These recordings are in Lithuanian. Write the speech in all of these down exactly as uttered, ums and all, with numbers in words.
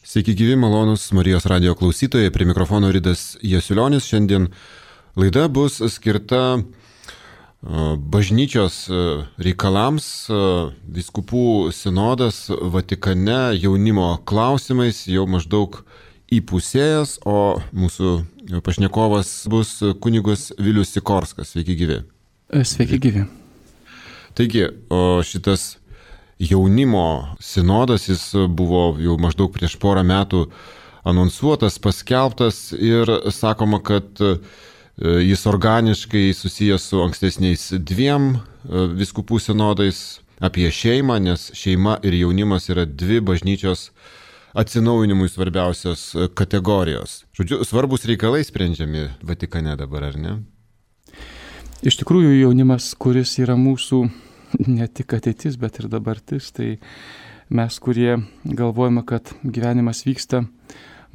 Sveiki gyvi, malonus Marijos radijo klausytojai, prie mikrofono Ridas Jasiulionis. Šiandien laida bus skirta bažnyčios reikalams, vyskupų sinodas Vatikane jaunimo klausimais jau maždaug įpusėjęs, o mūsų pašnekovas bus kunigas Vilius Sikorskas. Sveiki gyvi. Sveiki gyvi. Taigi, o šitas jaunimo sinodas, jis buvo jau maždaug prieš porą metų anonsuotas, paskelbtas ir sakoma, kad jis organiškai susijęs su ankstesniais dviem vyskupų sinodais apie šeimą, nes šeima ir jaunimas yra dvi bažnyčios atsinaujinimui svarbiausios kategorijos. Žodžiu, svarbus reikalai sprendžiami Vatikane dabar, ar ne? Iš tikrųjų, jaunimas, kuris yra mūsų ne tik ateitis, bet ir dabartis, tai mes, kurie galvojame, kad gyvenimas vyksta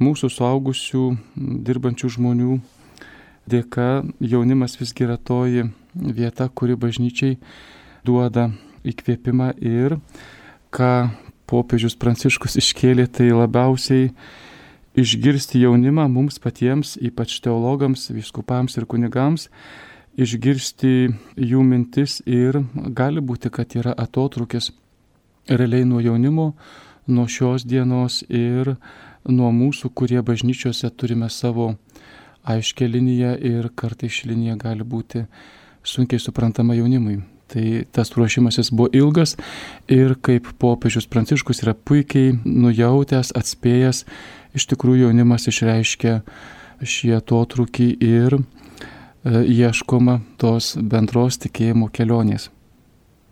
mūsų suaugusių, dirbančių žmonių dėka, jaunimas visgi yra toji vieta, kuri bažnyčiai duoda įkvėpimą ir ką popiežius Pranciškus iškėlė, tai labiausiai išgirsti jaunimą mums patiems, ypač teologams, vyskupams ir kunigams, išgirsti jų mintis ir gali būti, kad yra atotrūkis realiai nuo jaunimo, nuo šios dienos ir nuo mūsų, kurie bažnyčiose turime savo aiškę liniją ir kartais ši linija gali būti sunkiai suprantama jaunimui. Tai tas ruošimasis buvo ilgas ir kaip popiežius Pranciškus yra puikiai nujautęs, atspėjęs, iš tikrųjų jaunimas išreiškia šį atotrūkį ir ieškoma tos bendros tikėjimo kelionės.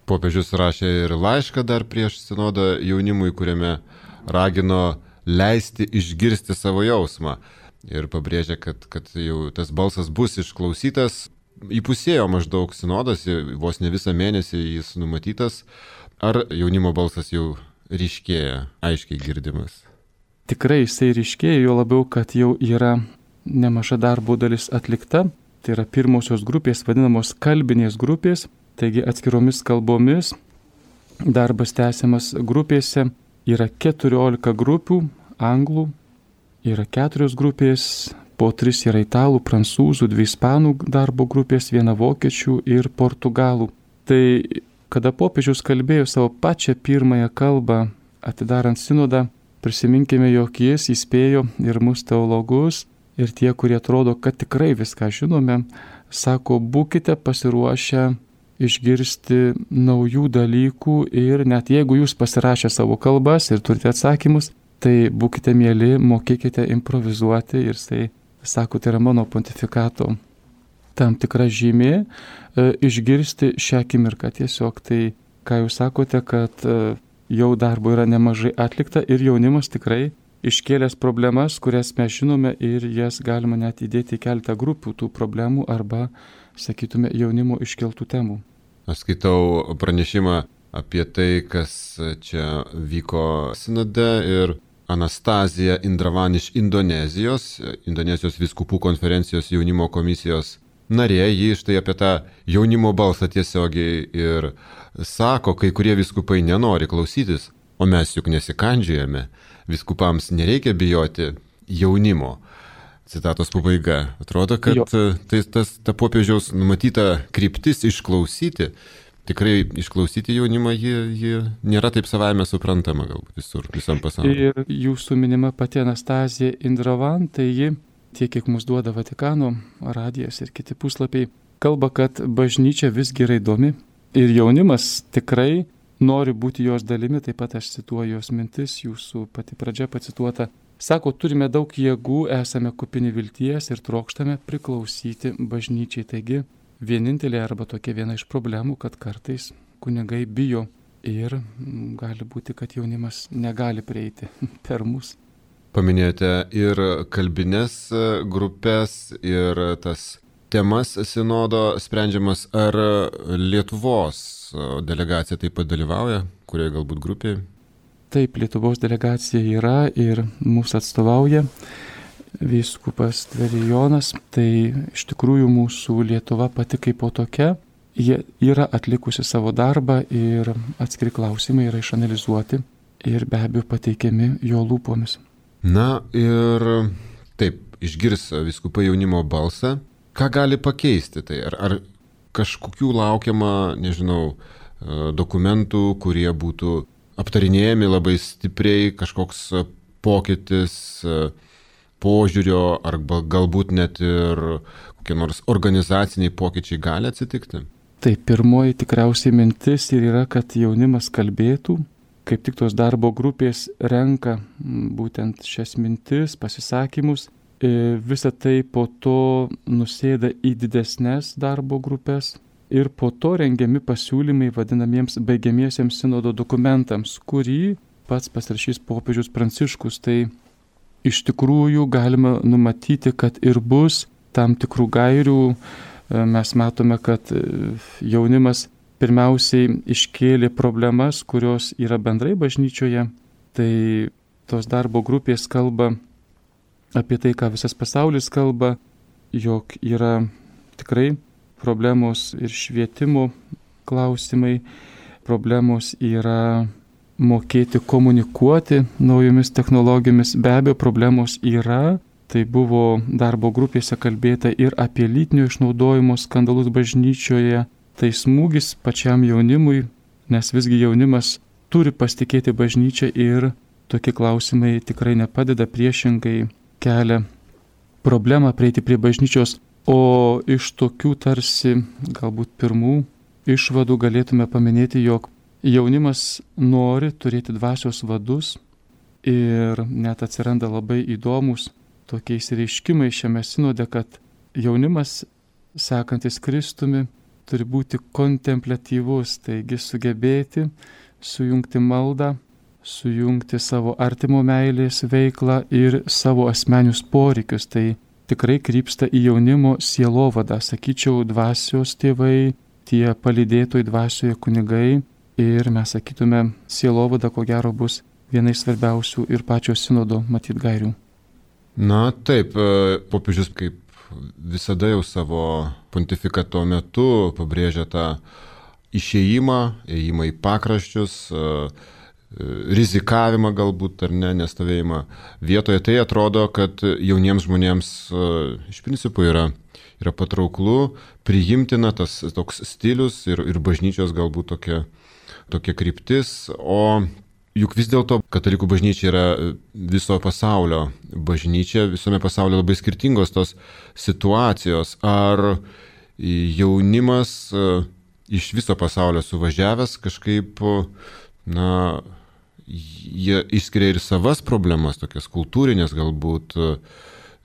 Popiežius rašė ir laišką dar prieš sinodą jaunimui, kuriame ragino leisti išgirsti savo jausmą. Ir pabrėžė, kad, kad jau tas balsas bus išklausytas. Įpusėjo maždaug sinodas, vos ne visą mėnesį jis numatytas. Ar jaunimo balsas jau ryškėja, aiškiai girdimas? Tikrai jisai ryškėja, jo labiau, kad jau yra nemaža darbo dalis atlikta. Tai yra pirmosios grupės, vadinamos kalbinės grupės, taigi atskiromis kalbomis darbas tęsiamas grupėse. Yra keturiolika grupių anglų, yra keturios grupės, po tris yra italų, prancūzų, dvi ispanų darbo grupės, viena vokiečių ir portugalų. Tai kada popiežius kalbėjo savo pačią pirmąją kalbą atidarant sinodą, prisiminkime, jog jis įspėjo ir mus teologus, ir tie, kurie atrodo, kad tikrai viską žinome, sako, būkite pasiruošę išgirsti naujų dalykų ir net jeigu jūs pasirašę savo kalbas ir turite atsakymus, tai būkite mieli, mokėkite improvizuoti ir tai, sako, tai yra mano pontifikato tam tikra žymė, e, išgirsti šią akimirką tiesiog. Tai, ką jūs sakote, kad e, jau darbo yra nemažai atlikta ir jaunimas tikrai iškėlęs problemas, kurias mes žinome ir jas galima net įdėti į keletą grupių tų problemų arba, sakytume, jaunimo iškeltų temų. Aš skaitau pranešimą apie tai, kas čia vyko sinode ir Anastazija Indravan iš Indonezijos, Indonezijos vyskupų konferencijos jaunimo komisijos narė, ji štai apie tą jaunimo balsą tiesiogiai ir sako, kai kurie vyskupai nenori klausytis, o mes juk nesikandžiojame. Vyskupams nereikia bijoti jaunimo. Citatos pabaiga. Atrodo, kad tai, tas, ta popiežiaus numatyta kryptis išklausyti, tikrai išklausyti jaunimą, ji, ji nėra taip savaime suprantama galbūt visur, visam pasaulyje. Ir jūsų minima pati Anastazija Indravan, tai ji, tiek kiek mums duoda Vatikano radijas ir kiti puslapiai, kalba, kad bažnyčia visgi yra įdomi ir jaunimas tikrai nori būti jos dalimi, taip pat aš cituoju jos mintis, jūsų pati pradžia pacituota. Sako, turime daug jėgų, esame kupini vilties ir trokštame priklausyti bažnyčiai. Taigi, vienintelė arba tokia viena iš problemų, kad kartais kunigai bijo ir gali būti, kad jaunimas negali prieiti per mus. Paminėjote ir kalbinės grupės, ir tas temas sinodo sprendžiamas. Ar Lietuvos delegacija taip pat dalyvauja, kurioje galbūt grupėje? Taip, Lietuvos delegacija yra ir mūsų atstovauja vyskupas Tverijonas. Tai iš tikrųjų mūsų Lietuva pati kaip po tokia, jie yra atlikusi savo darbą ir atskiri klausimai yra išanalizuoti ir be abejo pateikiami jo lūpomis. Na ir taip, išgirs vyskupai jaunimo balsą. Ką gali pakeisti tai? Ar, ar kažkokių laukiama, nežinau, dokumentų, kurie būtų aptarinėjami labai stipriai, kažkoks pokytis požiūrio, arba galbūt net ir kokie nors organizaciniai pokyčiai gali atsitikti? Tai pirmoji tikriausiai mintis ir yra, kad jaunimas kalbėtų, kaip tik tos darbo grupės renka būtent šias mintis, pasisakymus. Visa tai po to nusėda į didesnės darbo grupės ir po to rengiami pasiūlymai vadinamiems baigiamiesiems sinodo dokumentams, kurį pats pasirašys popiežius Pranciškus. Tai iš tikrųjų galima numatyti, kad ir bus tam tikrų gairių. Mes matome, kad jaunimas pirmiausiai iškėlė problemas, kurios yra bendrai bažnyčioje. Tai tos darbo grupės kalba apie tai, ką visas pasaulis kalba, jog yra tikrai problemos ir švietimo klausimai, problemos yra mokėti komunikuoti naujomis technologijomis, be abejo problemos yra. Tai buvo darbo grupėse kalbėta ir apie lytinio išnaudojimo skandalus bažnyčioje. Tai smūgis pačiam jaunimui, nes visgi jaunimas turi pasitikėti bažnyčią ir tokie klausimai tikrai nepadeda, priešingai kelia problemą prieiti prie bažnyčios. O iš tokių tarsi galbūt pirmų išvadų galėtume paminėti, jog jaunimas nori turėti dvasios vadus ir net atsiranda labai įdomus tokie išsireiškimai šiame sinode, kad jaunimas, sekantis Kristumi, turi būti kontempliatyvus, taigi sugebėti sujungti maldą, sujungti savo artimo meilės veiklą ir savo asmenius poreikius. Tai tikrai krypsta į jaunimo sielovadą, sakyčiau, dvasios tėvai, tie palydėtojai dvasioje kunigai, ir mes sakytume, sielovada ko gero bus viena iš svarbiausių ir pačio sinodo matyt gairių. Na taip, popiežius kaip visada jau savo pontifikato metu pabrėžia tą išėjimą, ėjimą į pakraščius, rizikavimą galbūt ar ne, nestovėjimą vietoje. Tai atrodo, kad jauniems žmonėms iš principo yra, yra patrauklu, priimtina tas toks stilius ir, ir bažnyčios galbūt tokia, tokia kryptis, o juk vis dėlto katalikų bažnyčia yra viso pasaulio bažnyčia, visame pasaulyje labai skirtingos tos situacijos. Ar jaunimas iš viso pasaulio suvažiavęs kažkaip, na, jie išskiria ir savas problemas, tokias kultūrinės galbūt,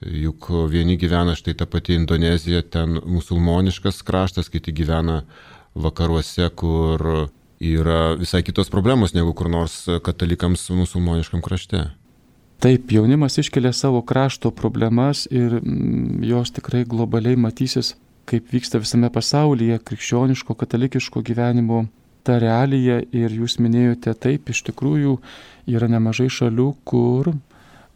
juk vieni gyvena, štai ta pati Indonezija, ten musulmoniškas kraštas, kiti gyvena vakaruose, kur yra visai kitos problemos negu kur nors katalikams musulmoniškam krašte. Taip, jaunimas iškelia savo krašto problemas ir jos tikrai globaliai matysis, kaip vyksta visame pasaulyje krikščioniško, katalikiško gyvenimo ta realija. Ir jūs minėjote, taip, iš tikrųjų yra nemažai šalių, kur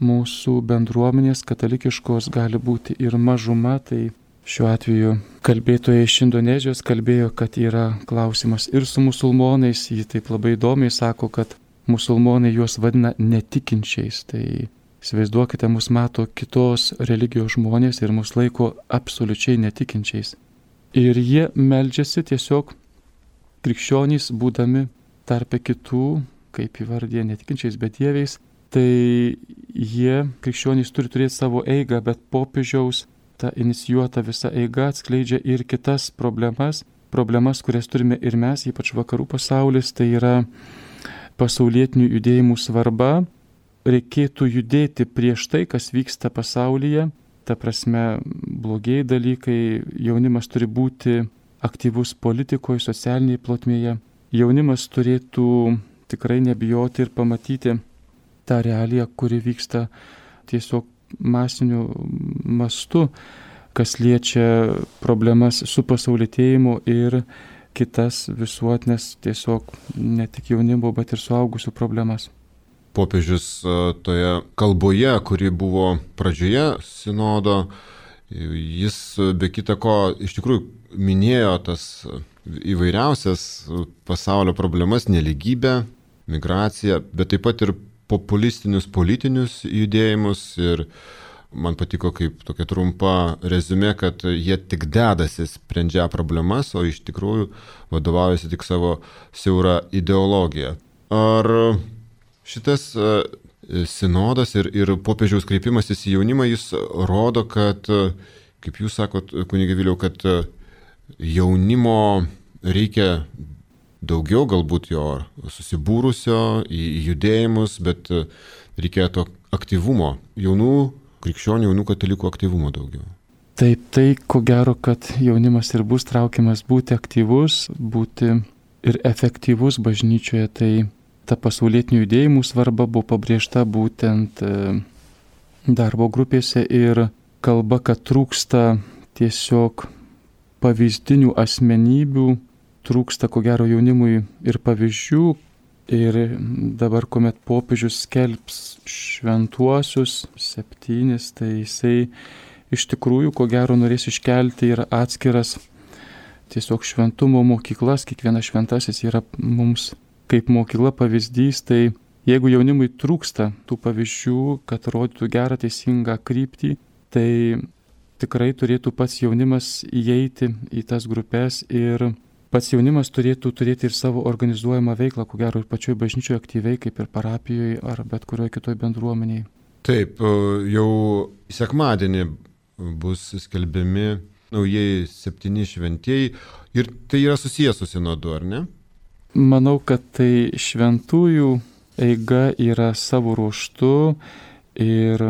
mūsų bendruomenės katalikiškos gali būti ir mažuma. Tai šiuo atveju kalbėtojai iš Indonezijos kalbėjo, kad yra klausimas ir su musulmonais. Ji taip labai įdomiai sako, kad musulmonai juos vadina netikinčiais. Tai įsivaizduokite, mus mato kitos religijos žmonės ir mus laiko absoliučiai netikinčiais. Ir jie meldžiasi tiesiog krikščionys, būdami tarpe kitų, kaip įvardė, netikinčiais bedieviais. Tai jie, krikščionys, turi turėti savo eigą, bet popiežiaus ta inicijuota visa eiga atskleidžia ir kitas problemas, problemas, kurias turime ir mes, ypač vakarų pasaulis, tai yra pasaulietinių judėjimų svarba. Reikėtų judėti prieš tai, kas vyksta pasaulyje, ta prasme blogieji dalykai, jaunimas turi būti aktyvus politikoje, socialinėje plotmėje. Jaunimas turėtų tikrai nebijoti ir pamatyti tą realiją, kuri vyksta tiesiog masiniu mastu, kas liečia problemas su pasaulietėjimu ir kitas visuotinės tiesiog ne tik jaunimo, bet ir suaugusių problemas. Popiežius toje kalboje, kuri buvo pradžioje sinodo, jis be kita ko iš tikrųjų minėjo tas įvairiausias pasaulio problemas, nelygybę, migraciją, bet taip pat ir populistinius politinius judėjimus ir man patiko kaip tokia trumpa reziumė, kad jie tik dedasi sprendžia problemas, o iš tikrųjų vadovaujasi tik savo siaurą ideologiją. Ar šitas sinodas ir, ir popiežiaus kreipimasis į jaunimą, jis rodo, kad, kaip jūs sakot, kunige Viliau, kad jaunimo reikia daugiau, galbūt jo susibūrusio į judėjimus, bet reikia to aktyvumo, jaunų krikščionių, jaunų katalikų aktyvumo daugiau. Taip, tai ko gero, kad jaunimas ir bus traukiamas būti aktyvus, būti ir efektyvus bažnyčioje, tai ta pasaulietinių judėjimų svarba buvo pabrėžta būtent darbo grupėse ir kalba, kad trūksta tiesiog pavyzdinių asmenybių, trūksta ko gero jaunimui ir pavyzdžių. Ir dabar, kuomet popiežius skelbs šventuosius septynis, tai jisai iš tikrųjų ko gero norės iškelti ir atskiras tiesiog šventumo mokyklas. Kiekvienas šventasis yra mums kaip mokykla pavyzdys, tai jeigu jaunimui trūksta tų pavyzdžių, kad rodytų gerą teisingą kryptį, tai tikrai turėtų pats jaunimas įeiti į tas grupės ir pats jaunimas turėtų turėti ir savo organizuojamą veiklą, ko gero ir pačioj bažnyčioje aktyviai, kaip ir parapijoje ar bet kurioje kitoje bendruomenėje. Taip, jau sekmadienį bus skelbiami naujieji septyni šventieji ir tai yra susijęs su sinodu, ar ne? Manau, kad tai šventųjų eiga yra savo ruoštu ir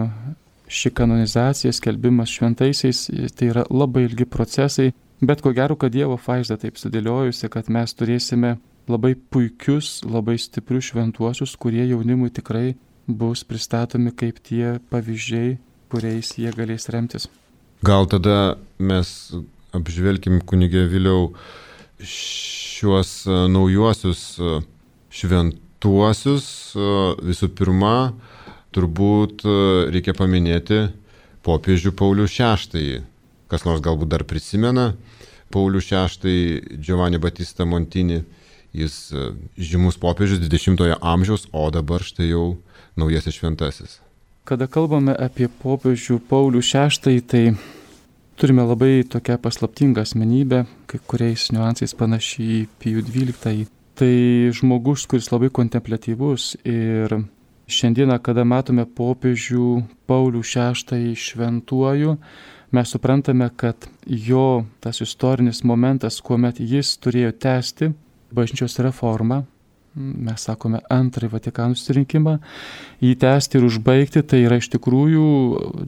ši kanonizacija, skelbimas šventaisiais, tai yra labai ilgi procesai, bet ko gero, kad Dievo vaizda taip sudėliojusi, kad mes turėsime labai puikius, labai stiprius šventuosius, kurie jaunimui tikrai bus pristatomi kaip tie pavyzdžiai, kuriais jie galės remtis. Gal tada mes apžvelkim, kunige Viliau, šiuos naujuosius šventuosius. Visų pirma, turbūt reikia paminėti popiežių Paulių šeštąjį. Kas nors galbūt dar prisimena Paulių šeštąjį, Giovanni Battista Montini. Jis žymus popiežius dvidešimtojo amžiaus, o dabar štai jau naujasis šventasis. Kada kalbame apie popiežių Paulių šeštąjį, tai turime labai tokią paslaptingą asmenybę, kai kuriais niuansais panašiai į Pijų dvyliktąjį. Tai žmogus, kuris labai kontempliatyvus ir šiandieną, kada matome popiežių Paulių šeštąjį šventuoju, mes suprantame, kad jo tas istorinis momentas, kuomet jis turėjo tęsti bažnyčios reformą, mes sakome antrąjį Vatikano susirinkimą, jį tęsti ir užbaigti, tai yra iš tikrųjų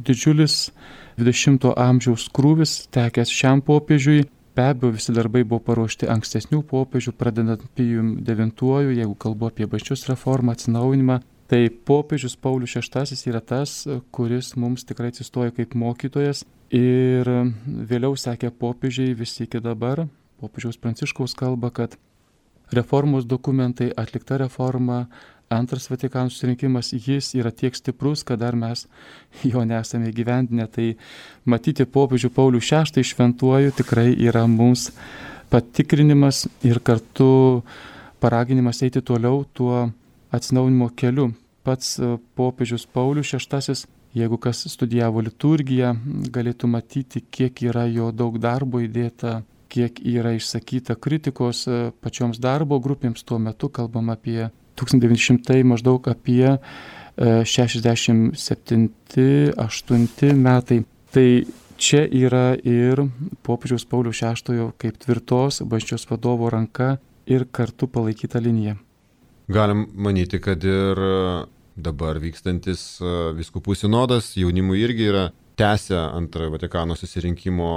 didžiulis dvidešimto amžiaus krūvis tekęs šiam popiežiui. Be abejo, visi darbai buvo paruošti ankstesnių popiežių, pradedant Pijum devintuoju, jeigu kalbu apie bažnyčios reformą, atsinaujinimą. Tai popiežius Paulius šeštasis yra tas, kuris mums tikrai atsistoja kaip mokytojas ir vėliau sekė popiežiai visi iki dabar. Popiežiaus Pranciškaus kalba, kad reformos dokumentai, atlikta reforma, antras Vatikano susirinkimas, jis yra tiek stiprus, kad dar mes jo nesame įgyvendinę. Tai matyti popiežių Paulių šeštąjį šventuoju tikrai yra mums patikrinimas ir kartu paraginimas eiti toliau tuo atsinaujinimo keliu. Pats popiežius Paulius šeštasis, jeigu kas studijavo liturgiją, galėtų matyti, kiek yra jo daug darbo įdėta, kiek yra išsakyta kritikos pačioms darbo grupėms. Tuo metu kalbam apie tūkstantis devyni šimtai maždaug apie šešiasdešimt septinti aštunti metai. Tai čia yra ir popiežiaus Pauliaus šeštojo kaip tvirtos bažnyčios vadovo ranka ir kartu palaikyta linija. Galim manyti, kad ir dabar vykstantis vyskupų sinodas jaunimui irgi yra tęsę antrojo Vatikano susirinkimo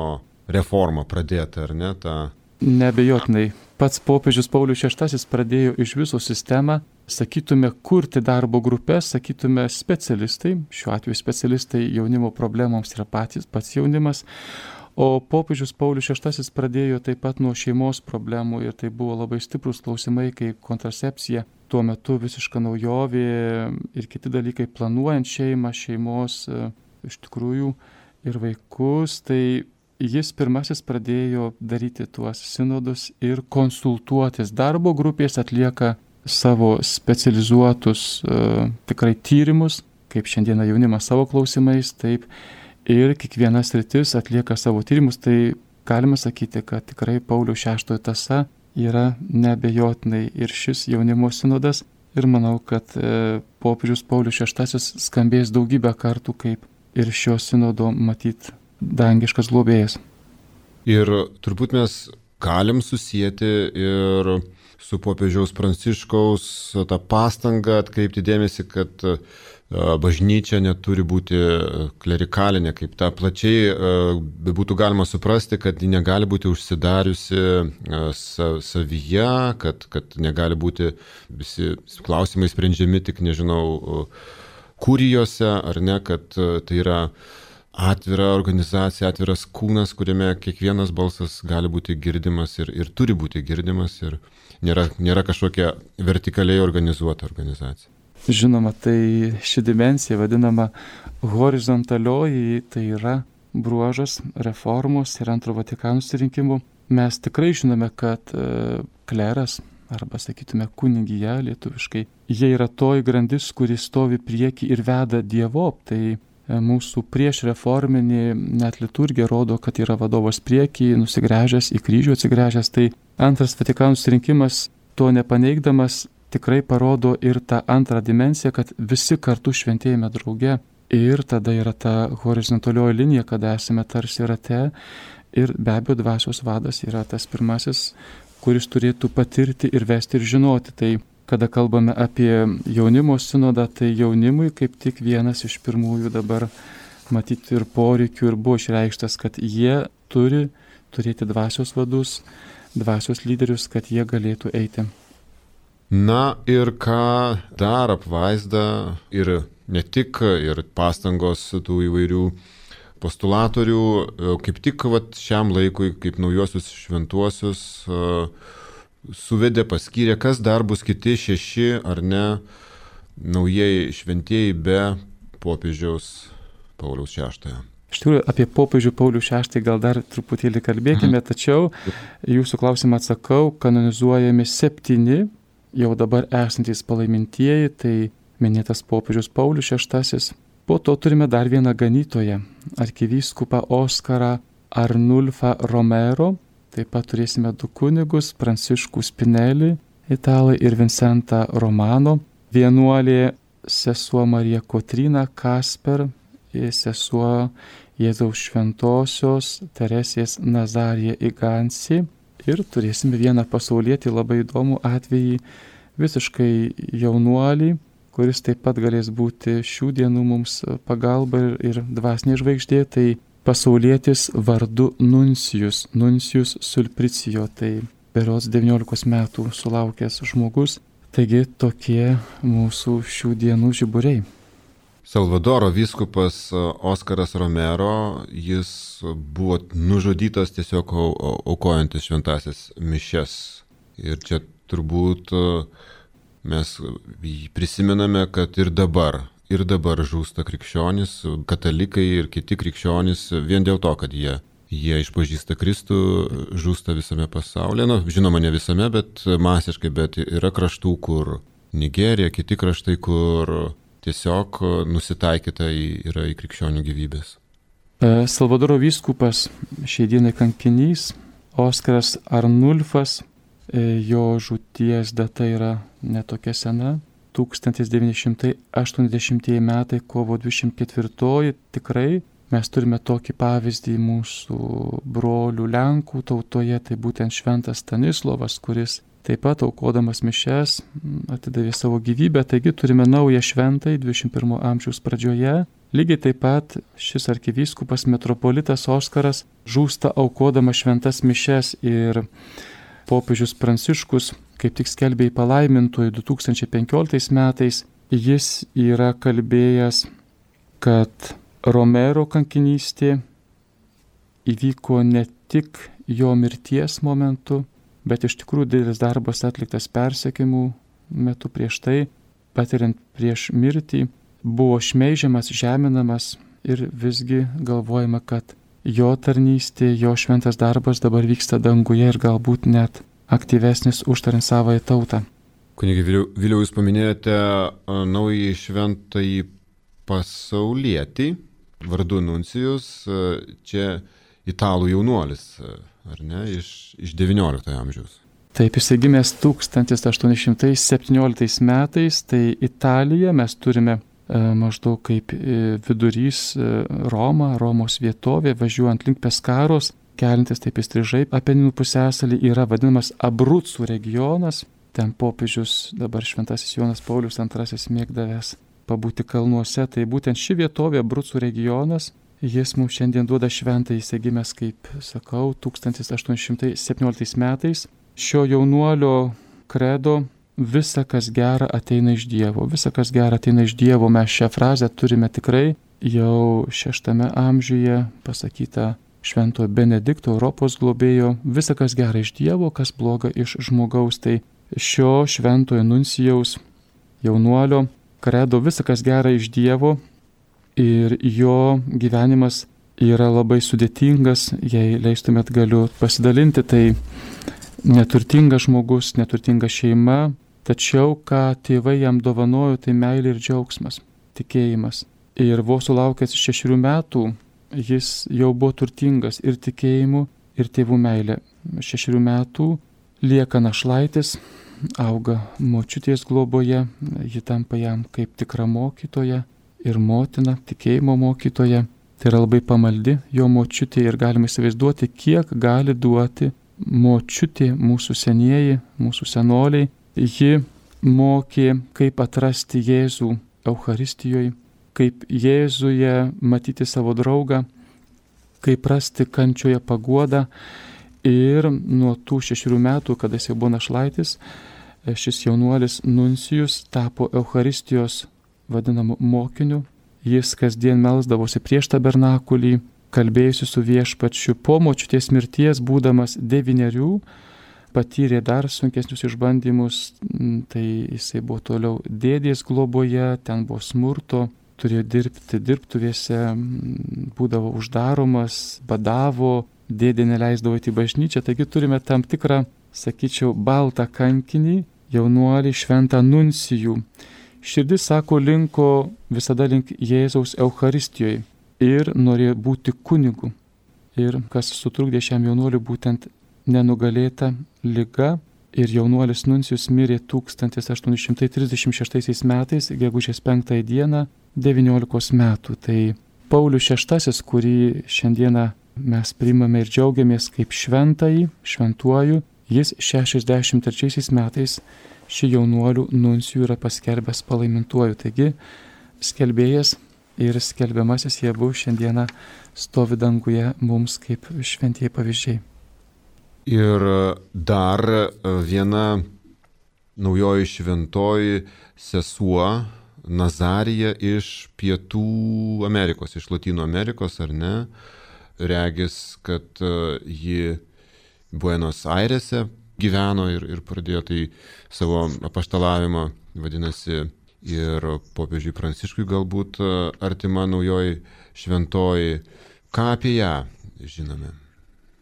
reformą pradėtą, ar ne? Ta... Neabejotinai. Pats popiežius Paulius šeštasis pradėjo iš viso sistemą, sakytume, kurti darbo grupės, sakytume, specialistai. Šiuo atveju specialistai jaunimo problemoms yra patys, pats jaunimas. O popiežius Paulius šeštasis pradėjo taip pat nuo šeimos problemų ir tai buvo labai stiprus klausimai kaip kontracepcija. Tuo metu visiška naujovė ir kiti dalykai planuojant šeimą, šeimos iš tikrųjų ir vaikus. Tai jis pirmasis pradėjo daryti tuos sinodus ir konsultuotis. Darbo grupės atlieka savo specializuotus uh, tikrai tyrimus, kaip šiandieną jaunimas savo klausimais, taip ir kiekviena sritis atlieka savo tyrimus, tai galima sakyti, kad tikrai Pauliaus šeštojo tąsa yra neabejotinai ir šis jaunimo sinodas ir manau, kad e, popiežius Paulius šeštasis skambės daugybę kartų kaip ir šio sinodo matyt dangiškas globėjas. Ir turbūt mes galim susijęti ir su popiežiaus Pranciškaus tą pastangą atkreipti dėmesį, kad bažnyčia neturi būti klerikalinė, kaip tą plačiai būtų galima suprasti, kad ji negali būti užsidariusi savyje, kad, kad negali būti visi klausimai sprendžiami tik, nežinau, kurijose, ar ne, kad tai yra atvira organizacija, atviras kūnas, kuriame kiekvienas balsas gali būti girdimas ir, ir turi būti girdimas ir nėra, nėra kažkokia vertikaliai organizuota organizacija. Žinoma, tai ši dimensija vadinama horizontalioji, tai yra bruožas reformos ir antro Vatikano susirinkimų. Mes tikrai žinome, kad e, kleras, arba sakytume kunigija lietuviškai, jie yra toji grandis, kuri stovi prieki ir veda dievop. Tai e, mūsų prieš reforminį net liturgija rodo, kad yra vadovas prieki, nusigręžęs į kryžių atsigręžęs. Tai antras Vatikano susirinkimas to nepaneigdamas tikrai parodo ir tą antrą dimensiją, kad visi kartu šventėjame drauge ir tada yra ta horizontalioji linija, kada esame tarsi rate ir be abejo dvasios vadas yra tas pirmasis, kuris turėtų patirti ir vesti ir žinoti. Tai kada kalbame apie jaunimo sinodą, tai jaunimui kaip tik vienas iš pirmųjų dabar matyti ir poreikių ir buvo išreikštas, kad jie turi turėti dvasios vadus, dvasios lyderius, kad jie galėtų eiti. Na ir ką dar apvaizda ir ne tik, ir pastangos tų įvairių postulatorių, kaip tik vat, šiam laikui, kaip naujuosius šventuosius, suvedė, paskyrė, kas dar bus kiti šeši ar ne naujieji šventieji be popiežiaus Pauliaus šeštojo. Iš tikrųjų, apie popiežių Paulių šeštąjį gal dar truputėlį kalbėkime, tačiau jūsų klausimą atsakau, kanonizuojami septyni jau dabar esantys palaimintieji, tai minėtas popiežius Paulius šeštasis. Po to turime dar vieną ganytoją, arkivyskupą Oskarą Arnulfą Romero, taip pat turėsime du kunigus, Pranciškų Spinelį, italai, ir Vincentą Romano, vienuolė sesuo Marija Kotryna Kasper, sesuo Jėzaus šventosios Teresės Nazarija Igansi. Ir turėsime vieną pasaulietį labai įdomų atvejį, visiškai jaunuolį, kuris taip pat galės būti šių dienų mums pagalba ir, ir dvasinė žvaigždė, tai pasaulietis vardu Nuncijus, Nuncijus Sulpricijo, tai berods devyniolikos metų sulaukęs žmogus, taigi tokie mūsų šių dienų žiburiai. Salvadoro vyskupas Oskaras Romero, jis buvo nužudytas tiesiog aukojantis šventąsias mišias. Ir čia turbūt mes prisimename, kad ir dabar, ir dabar žūsta krikščionys, katalikai ir kiti krikščionys vien dėl to, kad jie, jie išpažįsta Kristų, žūsta visame pasaulyje. Nu, žinoma, ne visame, bet masiškai, bet yra kraštų, kur Nigerija, kiti kraštai, kur tiesiog nusitaikyta yra į krikščionių gyvybės. Salvadoro vyskupas šiai dienai kankinys, Oskaras Arnulfas, jo žūties data yra netokia sena, tūkstantis devyni šimtai aštuoniasdešimtieji metai, kovo dvidešimt ketvirtoji, tikrai mes turime tokį pavyzdį mūsų brolių Lenkų tautoje, tai būtent šventas Stanislovas, kuris taip pat aukodamas mišias atidavė savo gyvybę, taigi turime naują šventąjį dvidešimt pirmo amžiaus pradžioje. Lygiai taip pat šis arkivyskupas metropolitas Oskaras žūsta aukodamas šventas mišias ir popiežius Pranciškus kaip tik skelbė į palaimintojų du tūkstančiai penkioliktais metais. Jis yra kalbėjęs, kad Romero kankinystė įvyko ne tik jo mirties momentu, bet iš tikrųjų didelis darbas atliktas persekiojimų metu prieš tai, patiriant prieš mirtį, buvo šmeižiamas, žeminamas ir visgi galvojama, kad jo tarnystė, jo šventas darbas dabar vyksta danguje ir galbūt net aktyvesnis užtariant savąją tautą. Kunigi Viliau, jūs paminėjote naująjį šventąjį pasaulietį, vardu Nuncijus, čia italų jaunuolis, ar ne, iš, iš devynioliktojo amžiaus. Taip, jis gimęs tūkstantis aštuoni šimtai septynioliktais metais, tai Italija mes turime e, maždaug kaip e, vidurys e, Roma, Romos vietovė, važiuojant link Peskaros, kelintis taip įstrižai, Apeninų pusiasalį yra vadinamas Abrucų regionas. Ten popiežius, dabar šventasis Jonas Paulius antrasis mėgdavęs pabūti kalnuose. Tai būtent ši vietovė, Abrucų regionas, jis mums šiandien duoda šventą, jis gimęs, kaip sakau, tūkstantis aštuoni šimtai septynioliktais metais. Šio jaunuolio kredo visa, kas gera, ateina iš Dievo. Visa, kas gera, ateina iš Dievo. Mes šią frazę turime tikrai jau šeštame amžiuje pasakytą Šventojo Benedikto, Europos globėjo. Visa, kas gera iš Dievo, kas bloga iš žmogaus. Tai šio šventojo nuncijaus jaunuolio kredo visa, kas gera iš Dievo, ir jo gyvenimas yra labai sudėtingas. Jei leistumėt, galiu pasidalinti. Tai neturtingas žmogus, neturtinga šeima, tačiau ką tėvai jam dovanojo, tai meilė ir džiaugsmas, tikėjimas. Ir vos sulaukęs šešerių metų jis jau buvo turtingas ir tikėjimu, ir tėvų meilė. Šešerių metų lieka našlaitis, auga močiutės globoje, ji tampa jam kaip tikra mokytoja ir motina, tikėjimo mokytoja. Tai yra labai pamaldi jo močiutė ir galima įsivaizduoti, kiek gali duoti močiutė, mūsų senieji, mūsų senoliai. Ji mokė, kaip atrasti Jėzų Eucharistijoje, kaip Jėzuje matyti savo draugą, kaip rasti kančioje paguodą. Ir nuo tų šešerių metų, kada jis jau buvo našlaitis, šis jaunuolis Nuncijus tapo Eucharistijos vadinamu mokiniu. Jis kasdien melsdavosi prieš tabernakulį, kalbėjusi su viešpačiu. Po močiutės mirties, būdamas devynerių, patyrė dar sunkesnius išbandymus. Tai jisai buvo toliau dėdės globoje, ten buvo smurto, turėjo dirbti dirbtuvėse, būdavo uždaromas, badavo, dėdė neleisdavo į bažnyčią. Taigi turime tam tikrą, sakyčiau, baltą kankinį, jaunuolį šventą Nuncijų. Širdis, sako, linko visada link Jėzaus Eucharistijoje ir norėjo būti kunigu. Ir kas sutrukdė šiam jaunuoliui, būtent nenugalėta liga. Ir jaunuolis Nuncijus mirė tūkstantis aštuoni šimtai trisdešimt šeštaisiais metais, gegužės penktąją dieną, devyniolikos metų. Tai Paulius šeštasis, kurį šiandieną mes priimame ir džiaugiamės kaip šventąjį, šventuoju, jis šešiasdešimt trečiaisiais metais šį jaunuolių Nuncijų yra paskelbęs palaimintuoju. Taigi skelbėjas ir skelbiamasis jie buvo šiandieną stovi danguje mums kaip šventieji pavyzdžiai. Ir dar viena naujoji šventoji sesuo Nazarija iš Pietų Amerikos, iš Lotynų Amerikos, ar ne? Regis, kad ji Buenos Airėse gyveno ir, ir pradėjo tai savo apaštalavimą, vadinasi, ir popiežiui Pranciškui galbūt artima naujoji šventoji. Ką apie ją žinome?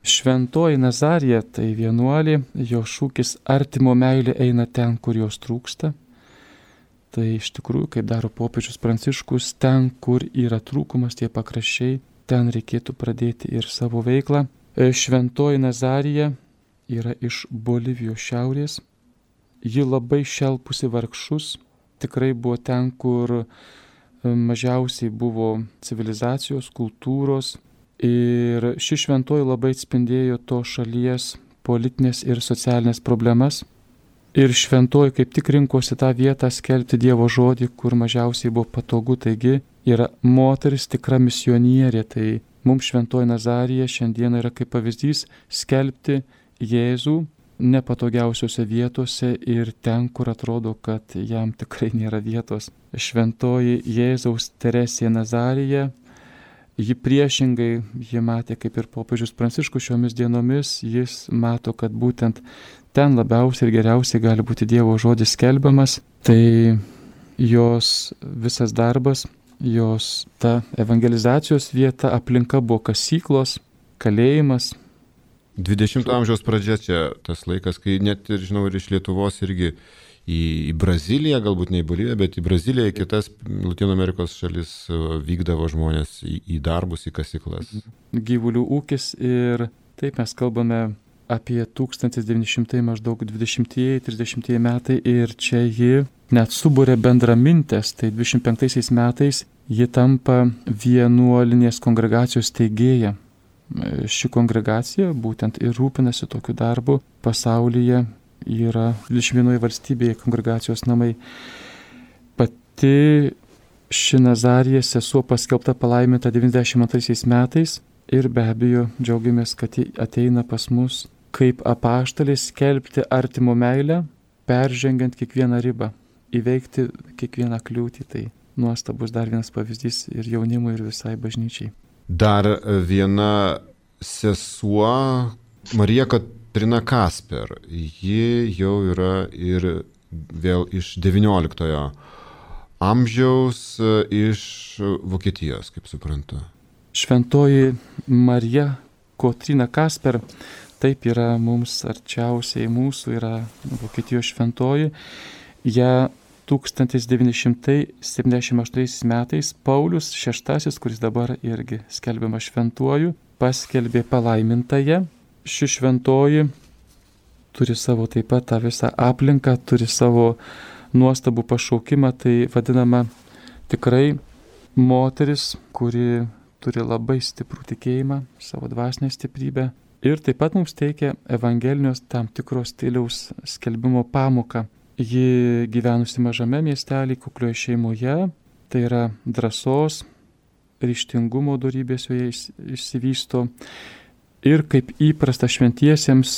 Šventoji Nazarija tai vienuolė, jo šūkis artimo meilė eina ten, kur jos trūksta. Tai iš tikrųjų, kaip daro popiežius Pranciškus, ten, kur yra trūkumas, tie pakraščiai, ten reikėtų pradėti ir savo veiklą. Šventoji Nazarija yra iš Bolivijos šiaurės. Ji labai šelpusi vargšus, tikrai buvo ten, kur mažiausiai buvo civilizacijos, kultūros. Ir ši šventoji labai atspindėjo to šalies politinės ir socialinės problemas. Ir šventoji kaip tik rinkosi tą vietą skelbti Dievo žodį, kur mažiausiai buvo patogu. Taigi yra moteris tikra misionierė. Tai mums šventoji Nazarija šiandien yra kaip pavyzdys skelbti Jėzų nepatogiausiose vietose ir ten, kur atrodo, kad jam tikrai nėra vietos. Šventoji Jėzaus Teresė Nazarija, ji priešingai, ji matė kaip ir popiežius Pranciškus šiomis dienomis, jis mato, kad būtent ten labiausiai ir geriausiai gali būti Dievo žodis skelbiamas. Tai jos visas darbas, jos ta evangelizacijos vieta, aplinka buvo kasyklos, kalėjimas. dvidešimto amžiaus pradžia čia tas laikas, kai net ir, žinau, ir iš Lietuvos irgi į, į Braziliją, galbūt ne į Boliviją, bet į Braziliją, į kitas Latino Amerikos šalis vykdavo žmonės į, į darbus, į kasyklas. Gyvulių ūkis ir taip mes kalbame apie tūkstantis devyni šimtai maždaug dvidešimtieji trisdešimtieji metai ir čia ji net subūrė bendramintės, tai dvidešimt penktaisiais metais ji tampa vienuolinės kongregacijos steigėja. Ši kongregacija būtent ir rūpinasi tokiu darbu pasaulyje, yra dvidešimt vienoje valstybėje kongregacijos namai. Pati ši Nazarija sesuo paskelbta palaiminta devyniasdešimt antraisiais metais ir be abejo džiaugiamės, kad ji ateina pas mus kaip apaštalė skelbti artimo meilę, peržengiant kiekvieną ribą, įveikti kiekvieną kliūtį. Tai nuostabus dar vienas pavyzdys ir jaunimui, ir visai bažnyčiai. Dar viena sesuo, Marija Katrina Kasper, ji jau yra ir vėl iš devynioliktojo amžiaus, iš Vokietijos, kaip suprantu. Šventoji Marija Katrina Kasper, taip yra mums arčiausiai mūsų, yra Vokietijos šventoji. Ja tūkstantis devyni šimtai septyniasdešimt aštuntaisiais metais Paulius šeštasis, kuris dabar irgi skelbiama šventuoju, paskelbė palaimintąją. Ši šventoji turi savo taip pat tą visą aplinką, turi savo nuostabų pašaukimą, tai vadinama tikrai moteris, kuri turi labai stiprų tikėjimą, savo dvasinę stiprybę ir taip pat mums teikia evangelinios tam tikros stiliaus skelbimo pamoką. Ji gyvenusi mažame miestelį, kuklioje šeimoje, tai yra drąsos, ryžtingumo dorybės joje išsivysto ir kaip įprasta šventiesiems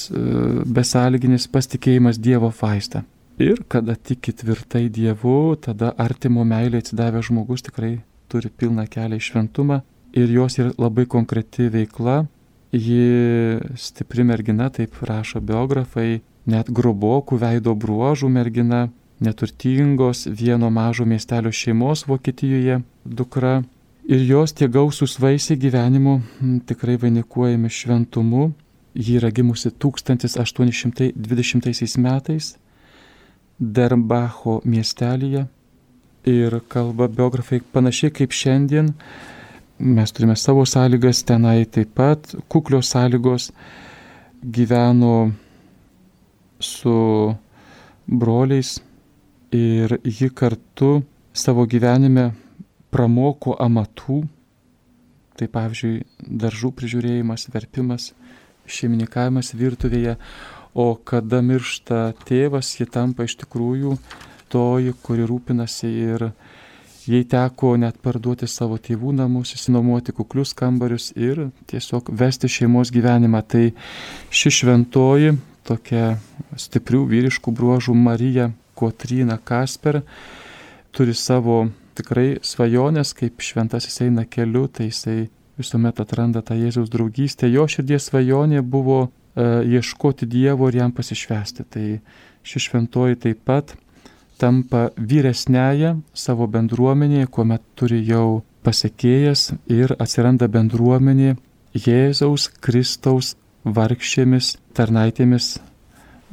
besąlyginis pasitikėjimas Dievo faista. Ir kada tiki tvirtai Dievu, tada artimo meilė atsidavęs žmogus tikrai turi pilną kelią į šventumą ir jos yra labai konkreti veikla. Ji stipri mergina, taip rašo biografai, net grobokų veido bruožų mergina, neturtingos vieno mažo miestelio šeimos Vokietijoje dukra. Ir jos tie gausūs vaisiai gyvenimo tikrai vainikuojami šventumu. Ji yra gimusi tūkstantis aštuoni šimtai dvidešimtaisiais metais Derbacho miestelyje. Ir kalba biografai panašiai kaip šiandien. Mes turime savo sąlygas, tenai taip pat kuklios sąlygos, gyveno su broliais ir ji kartu savo gyvenime pramoko amatų, tai pavyzdžiui daržų prižiūrėjimas, verpimas, šeimininkavimas virtuvėje, o kada miršta tėvas, ji tampa iš tikrųjų toji, kuri rūpinasi ir jai teko net parduoti savo tėvų namus, išsinuomoti kuklius kambarius ir tiesiog vesti šeimos gyvenimą. Tai ši šventoji, tokia stiprių vyriškų bruožų Marija Katrina Kasper, turi savo tikrai svajonės, kaip šventasis eina keliu, tai jisai visuomet atranda tą Jėzaus draugystę. Jo širdies svajonė buvo e, ieškoti Dievo ir jam pasišvęsti. Tai ši šventoji taip pat tampa vyresnėje savo bendruomenėje, kuomet turi jau pasekėjas ir atsiranda bendruomenė Jėzaus Kristaus vargšėmis tarnaitėmis,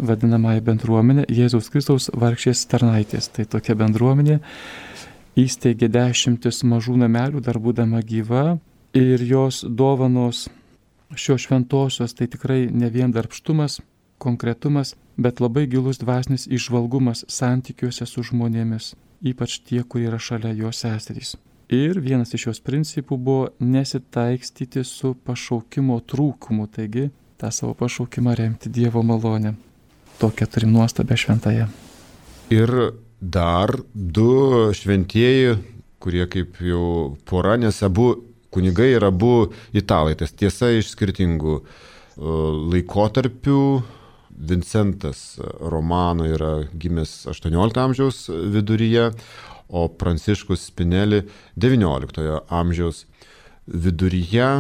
vadinamąją bendruomenę Jėzaus Kristaus vargšės tarnaitės. Tai tokia bendruomenė įsteigė dešimtis mažų namelių, dar būdama gyva, ir jos dovanos šios šventosios tai tikrai ne vien darbštumas, konkretumas, bet labai gilus dvasinis įžvalgumas santykiuose su žmonėmis, ypač tie, kurie yra šalia jos seserys. Ir vienas iš jos principų buvo nesitaikstyti su pašaukimo trūkumu, taigi tą savo pašaukimą remti Dievo malonę. Tokią turim nuostabę šventąją. Ir dar du šventieji, kurie kaip jau pora, nes abu kunigai yra abu italai, tas tiesa iš skirtingų laikotarpių. Vincentas Romano yra gimęs aštuoniolikto amžiaus viduryje, o Pranciškus Spinelli devynioliktojo amžiaus viduryje.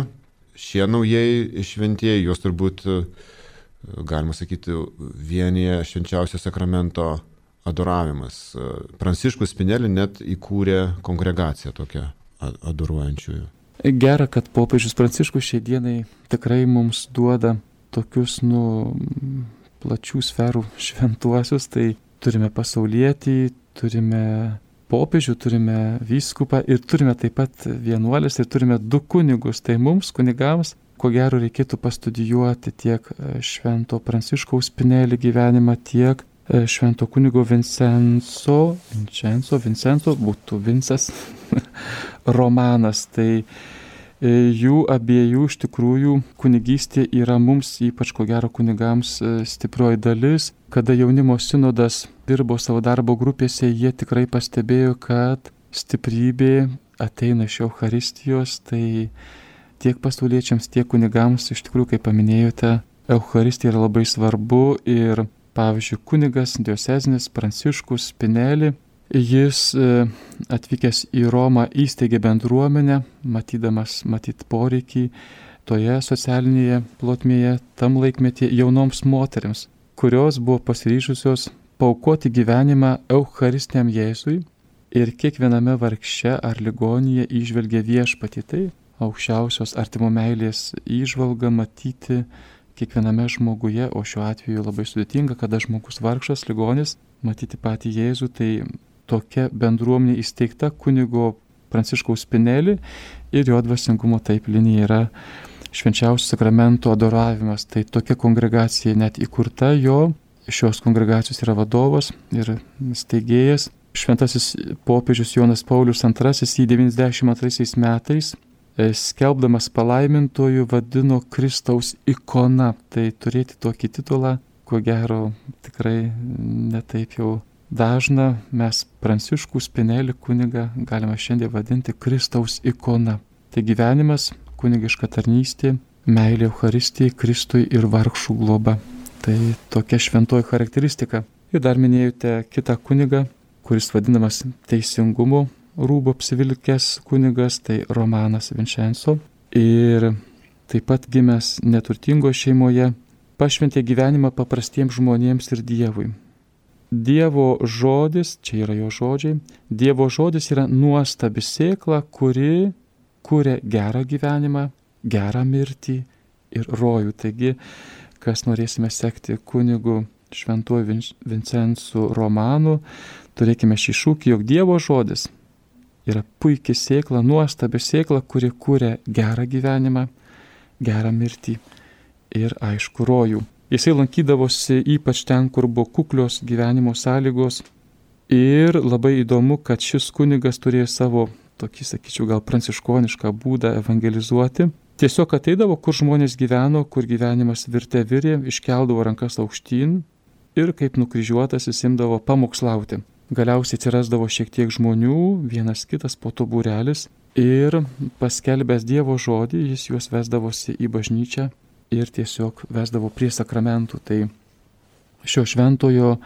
Šie naujieji šventieji, juos turbūt, galima sakyti, vienyje švenčiausio sakramento adoravimas. Pranciškus Spinelli net įkūrė kongregaciją tokią adoruojančiųjų. Gera, kad popiežius Pranciškus šiai dienai tikrai mums duoda tokius, nu, plačių sferų šventuosius, tai turime pasaulietį, turime popiežių, turime vyskupą ir turime taip pat vienuolis ir turime du kunigus. Tai mums, kunigams, ko gero reikėtų pastudijuoti tiek švento Pranciškaus Spinelli gyvenimą, tiek švento kunigo Vincenzo, Vincenzo, Vincenzo, būtų Vincas romanas. Tai jų abiejų iš tikrųjų kunigystė yra mums, ypač ko gero kunigams, stiprioji dalis. Kada jaunimo sinodas dirbo savo darbo grupėse, jie tikrai pastebėjo, kad stiprybė ateina iš Eucharistijos. Tai tiek pasauliečiams, tiek kunigams, iš tikrųjų, kaip paminėjote, Eucharistija yra labai svarbu. Ir pavyzdžiui, kunigas diocezinis Pranciškus Spinelli, jis atvykęs į Romą įsteigė bendruomenę, matydamas matyt poreikį toje socialinėje plotmėje, tam laikmetyje jaunoms moteriams, kurios buvo pasiryžusios paaukoti gyvenimą Eucharistiniam Jėzui ir kiekviename vargše ar ligonyje įžvelgė viešpatį. Tai aukščiausios artimo meilės įžvalga matyti kiekviename žmoguje, o šiuo atveju labai sudėtinga, kada žmogus vargšas, ligonis, matyti patį Jėzų. Tai tokia bendruomenė įsteigta kunigo Pranciškaus Spinelli ir jo dvasingumo taip linija yra švenčiausio sakramento adoravimas. Tai tokia kongregacija net įkurta jo, šios kongregacijos yra vadovas ir steigėjas. Šventasis popiežius Jonas Paulius antrasis jį devyniasdešimt antraisiais metais skelbdamas palaimintojų vadino Kristaus ikona. Tai turėti tokį titulą, ko gero, tikrai netaip jau dažna. Mes Pranciškų Spinelli kunigą galime šiandien vadinti Kristaus ikona. Tai gyvenimas, kunigiška tarnystė, meilė Eucharistijai, Kristui ir vargšų globa. Tai tokia šventoji charakteristika. Ir dar minėjote kitą kunigą, kuris vadinamas teisingumo rūbo apsivilkęs kunigas, tai Romanas Vincenzo. Ir taip pat gimęs neturtingo šeimoje, pašventė gyvenimą paprastiems žmonėms ir Dievui. Dievo žodis, čia yra jo žodžiai, Dievo žodis yra nuostabi sėkla, kuri kuria gerą gyvenimą, gerą mirtį ir rojų. Taigi, kas norėsime sekti kunigu šventuoju Vincenzu Romanu, turėkime šį šūkį, jog Dievo žodis yra puikiai sėkla, nuostabi sėkla, kuri kuria gerą gyvenimą, gerą mirtį ir aišku rojų. Jisai lankydavosi ypač ten, kur buvo kuklios gyvenimo sąlygos. Ir labai įdomu, kad šis kunigas turėjo savo tokį, sakyčiau, gal pranciškonišką būdą evangelizuoti. Tiesiog ateidavo, kur žmonės gyveno, kur gyvenimas virte virė, iškeldavo rankas aukštyn ir kaip nukryžiuotas jis imdavo pamokslauti. Galiausiai atsirasdavo šiek tiek žmonių, vienas kitas, po to būrelis, ir paskelbęs Dievo žodį, jis juos vesdavosi į bažnyčią ir tiesiog vesdavo prie sakramentų. Tai šio šventojo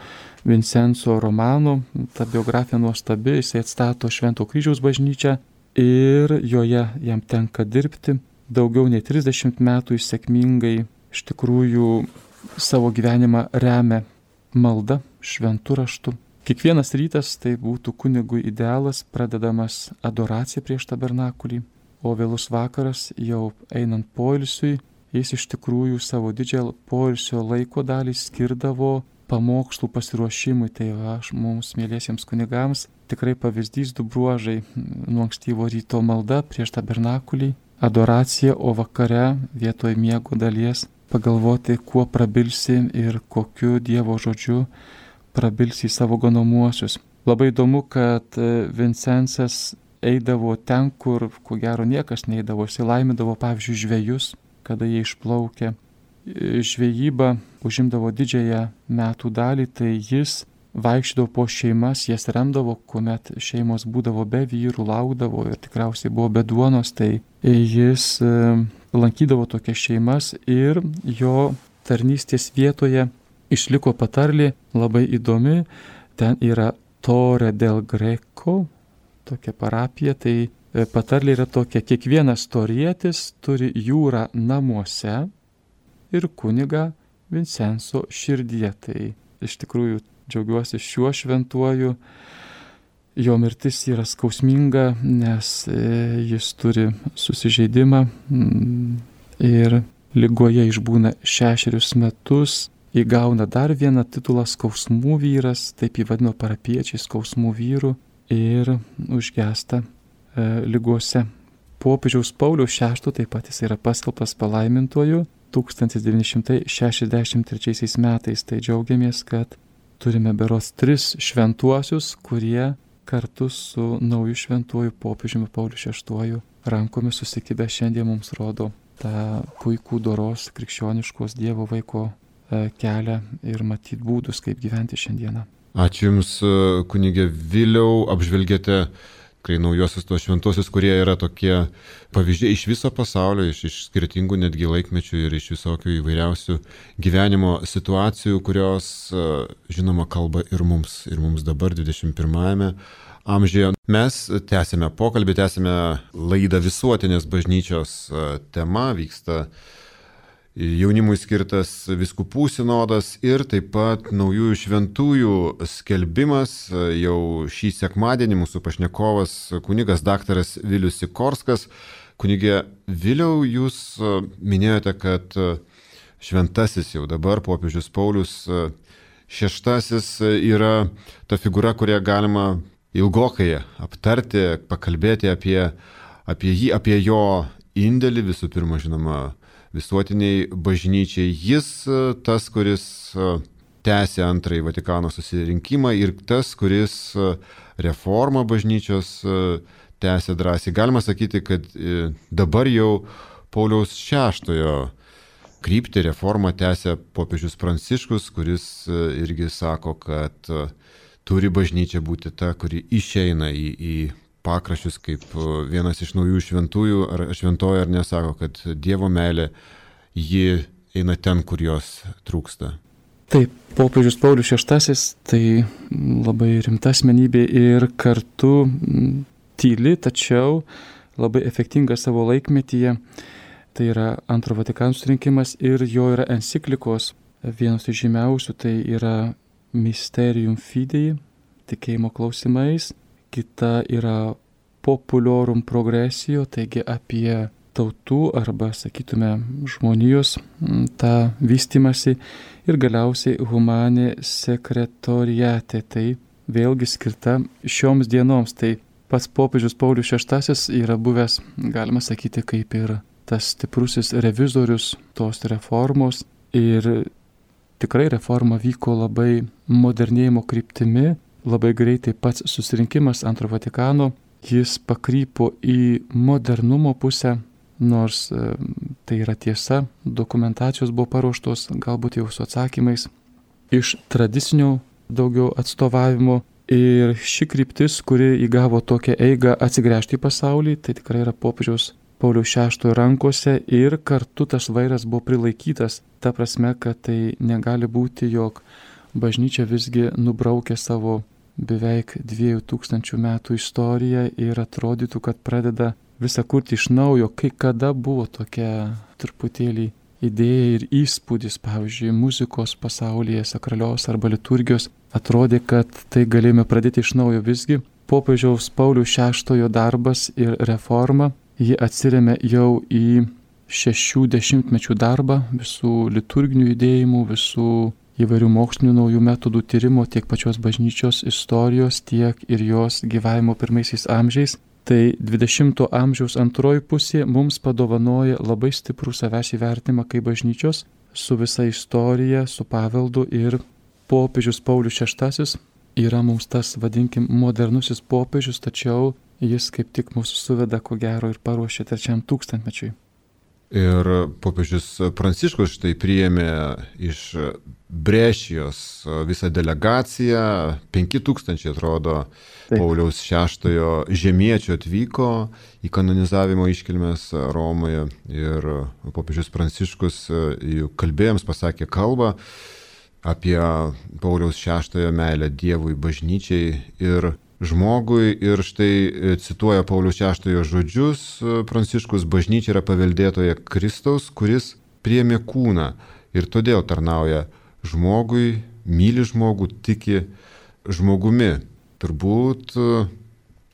Vincenzo Romano, ta biografija nuostabi, jisai atstato Švento kryžiaus bažnyčią ir joje jam tenka dirbti. Daugiau nei trisdešimt metų jis sėkmingai iš tikrųjų savo gyvenimą remia malda, šventu raštu. Kiekvienas rytas tai būtų kunigui idealas, pradedamas adoracija prieš tabernakulį, o vėlus vakaras jau einant poilsiui, jis iš tikrųjų savo didžiąją poilsio laiko dalį skirdavo pamokslų pasiruošimui. Tai aš mums, mieliesiems kunigams, tikrai pavyzdys du bruožai: nuo ankstyvo ryto malda prieš tabernakulį, adoracija, o vakare vietoj miego dalies pagalvoti, kuo prabilsi ir kokiu Dievo žodžiu prabilsi į savo ganomuosius. Labai įdomu, kad Vincensas eidavo ten, kur ko gero niekas neeidavo. Jis laimindavo, pavyzdžiui, žvejus, kada jie išplaukė. Žvejyba užimdavo didžiąją metų dalį, tai jis vaikščiodavo po šeimas, jas remdavo, kuomet šeimos būdavo be vyrų, laukdavo ir tikriausiai buvo be duonos, tai jis lankydavo tokias šeimas ir jo tarnystės vietoje išliko patarlė labai įdomi. Ten yra Torre del Greco, tokia parapija. Tai patarlė yra tokia: kiekvienas torietis turi jūrą namuose ir kunigą Vincenzo širdyje. Tai iš tikrųjų džiaugiuosi šiuo šventuoju. Jo mirtis yra skausminga, nes jis turi susižeidimą ir ligoje išbūna šešerius metus. įgauna dar vieną titulą skausmų vyras, taip jį vadino parapiečiai skausmų vyrų ir užgesta e, ligose. Popiežiaus Pauliaus šeštojo taip pat jis yra paskelbtas palaimintuoju tūkstantis devyni šimtai šešiasdešimt trečiaisiais metais. Tai džiaugiamės, kad turime berods tris šventuosius, kurie kartu su nauju šventuoju popiežiumi Pauliu šeštuoju rankomis susikibę šiandien mums rodo tą puikų doros krikščioniškos Dievo vaiko kelią ir matyt būdus, kaip gyventi šiandieną. Ačiū Jums, kunigė Viliau, apžvelgėte tikrai naujosius tos šventosius, kurie yra tokie pavyzdžiai iš viso pasaulio, iš, iš skirtingų netgi laikmečių ir iš visokių įvairiausių gyvenimo situacijų, kurios, žinoma, kalba ir mums, ir mums dabar dvidešimt pirmajame amžiuje. Mes tęsime pokalbį, tęsime laidą visuotinės bažnyčios tema, vyksta jaunimui skirtas vyskupų sinodas ir taip pat naujųjų šventųjų skelbimas. Jau šį sekmadienį mūsų pašnekovas kunigas daktaras Vilius Sikorskas. Kunigė Viliau, jūs minėjote, kad šventasis jau dabar popiežius Paulius šeštasis yra ta figūra, kurią galima ilgokai aptarti, pakalbėti apie, apie jį, apie jo indėlį, visų pirma, žinoma, visuotiniai bažnyčiai. Jis tas, kuris tęsė antrąjį Vatikano susirinkimą ir tas, kuris reformą bažnyčios tęsė drąsiai. Galima sakyti, kad dabar jau Pauliaus šeštojo kryptį reformą tęsė popiežius Pranciškus, kuris irgi sako, kad turi bažnyčia būti ta, kuri išeina į, į pakraščius, kaip vienas iš naujų šventųjų, ar šventojo ar nesako, kad Dievo meilė, ji eina ten, kur jos trūksta. Taip, popiežius Paulius šeštasis tai labai rimta asmenybė ir kartu tyli, tačiau labai efektinga savo laikmetyje. Tai yra antro Vatikano susirinkimas ir jo yra enciklikos, vienas iš žymiausių, tai yra Mysterium Fidei, tikėjimo klausimais. Kita yra Populorum Progressio, taigi apie tautų arba, sakytume, žmonijos tą vystimąsi. Ir galiausiai Humane Secretoriate, tai vėlgi skirta šioms dienoms. Tai pats popiežius Paulius šeštasis yra buvęs, galima sakyti, kaip ir tas stiprusis revizorius tos reformos. Ir tikrai reforma vyko labai modernėjimo kryptimi, labai greitai pats susirinkimas antro Vatikano, jis pakrypo į modernumo pusę, nors e, tai yra tiesa, dokumentacijos buvo paruoštos, galbūt jau su atsakymais, iš tradicinio daugiau atstovavimo. Ir ši kryptis, kuri įgavo tokią eigą atsigręžti į pasaulį, tai tikrai yra popiežiaus Pauliaus šeštojo rankose ir kartu tas vairas buvo prilaikytas, ta prasme, kad tai negali būti, jog bažnyčia visgi nubraukė savo beveik dviejų tūkstančių metų istoriją ir atrodytų, kad pradeda visą kurti iš naujo. Kai kada buvo tokia truputėlį idėja ir įspūdis, pavyzdžiui, muzikos pasaulyje, sakralios arba liturgijos, atrodė, kad tai galėjome pradėti iš naujo. Visgi popiežiaus Pauliaus šeštojo darbas ir reforma, ji atsiremia jau į šešių dešimtmečių darbą, visų liturginių judėjimų, visų įvairių mokslinių naujų metodų tyrimo, tiek pačios bažnyčios istorijos, tiek ir jos gyvavimo pirmaisiais amžiais. Tai dvidešimto amžiaus antroji pusė mums padovanoja labai stiprų savęs įvertinimą kaip bažnyčios su visa istorija, su paveldu, ir popiežius Paulius šeštasis yra mums tas, vadinkim, modernusis popiežius, tačiau jis kaip tik mūsų suveda, ko gero, ir paruošė trečiam tūkstantmečiui. Ir popiežius Pranciškus štai priėmė iš Brešijos visą delegaciją, penki tūkstančiai atrodo Taip. Pauliaus šeštojo žemiečių atvyko į kanonizavimo iškilmes Romoje ir popiežius Pranciškus kalbėjams pasakė kalbą apie Pauliaus šeštojo meilę Dievui, bažnyčiai ir žmogui. Ir štai cituoja Pauliaus šeštojo žodžius Pranciškus: bažnyčia yra paveldėtoja Kristaus, kuris priėmė kūną ir todėl tarnauja žmogui, myli žmogų, tiki žmogumi. Turbūt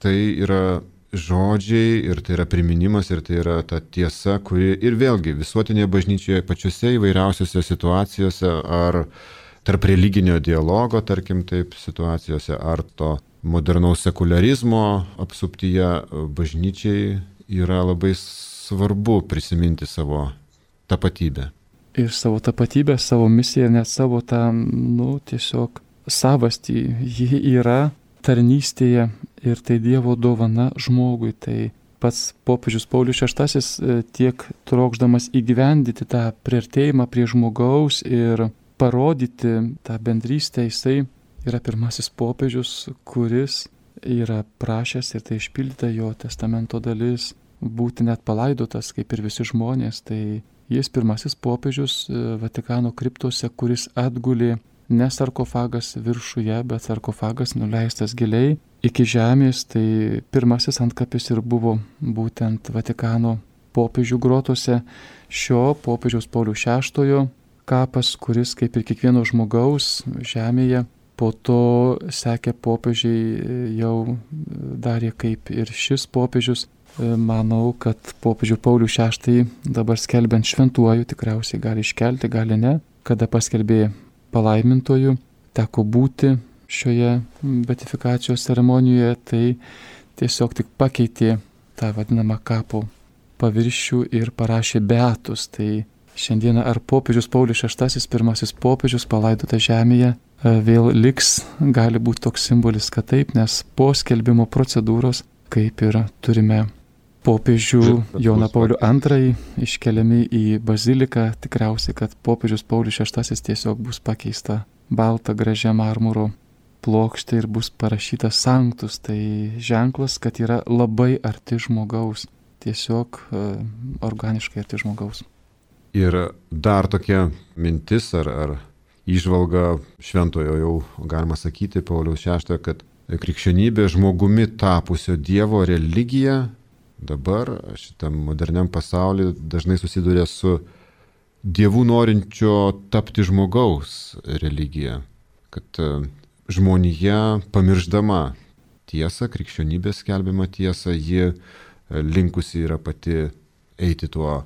tai yra žodžiai ir tai yra priminimas ir tai yra ta tiesa, kuri ir vėlgi visuotinėje bažnyčioje pačiose įvairiausiose situacijose ar tarp religinio dialogo, tarkim taip, situacijose ar to modernaus sekularizmo apsuptyje bažnyčiai yra labai svarbu prisiminti savo tapatybę. Ir savo tapatybę, savo misiją, net savo tą, nu, tiesiog savastį. Ji yra tarnystėje ir tai Dievo dovana žmogui. Tai pats popiežius Paulius šeštasis tiek trokšdamas įgyvendyti tą priartėjimą prie žmogaus ir parodyti tą bendrystę, jisai yra pirmasis popiežius, kuris yra prašęs ir tai išpildyta jo testamento dalis būti net palaidotas kaip ir visi žmonės. Tai jis pirmasis popiežius Vatikano kriptose, kuris atgulė ne sarkofagas viršuje, bet sarkofagas nuleistas giliai iki žemės. Tai pirmasis antkapis ir buvo būtent Vatikano popiežių grotose šio popiežiaus Pauliaus šeštojo kapas, kuris kaip ir kiekvieno žmogaus žemėje po to sekė popiežiai jau darė kaip ir šis popiežius. Manau, kad popiežių Paulių šeštąjį dabar skelbiant šventuoju tikriausiai gali iškelti, gali ne. Kada paskelbė palaimintoju, teko būti šioje beatifikacijos ceremonijoje, tai tiesiog tik pakeitė tą vadinamą kapo paviršių ir parašė beatus. Tai šiandieną ar popiežius Paulius šeštasis, pirmasis popiežius palaidotas žemėje, vėl liks, gali būti toks simbolis, kad taip, nes po skelbimo procedūros, kaip ir turime popiežių Joną Paulių antrąjį iškeliami į baziliką, tikriausiai, kad popiežius Paulius šeštasis tiesiog bus pakeista balta gražia marmuro plokštė ir bus parašyta sanctus. Tai ženklas, kad yra labai arti žmogaus, tiesiog uh, organiškai arti žmogaus. Ir dar tokia mintis ar, ar įžvalga šventojo, jau galima sakyti, Pauliaus šeštojo, kad krikščionybė žmogumi tapusio Dievo religija dabar šitam moderniam pasaulyje dažnai susiduria su dievų norinčio tapti žmogaus religija, kad žmonija pamirždama tiesą, krikščionybės skelbiamą tiesą, ji linkusi yra pati eiti tuo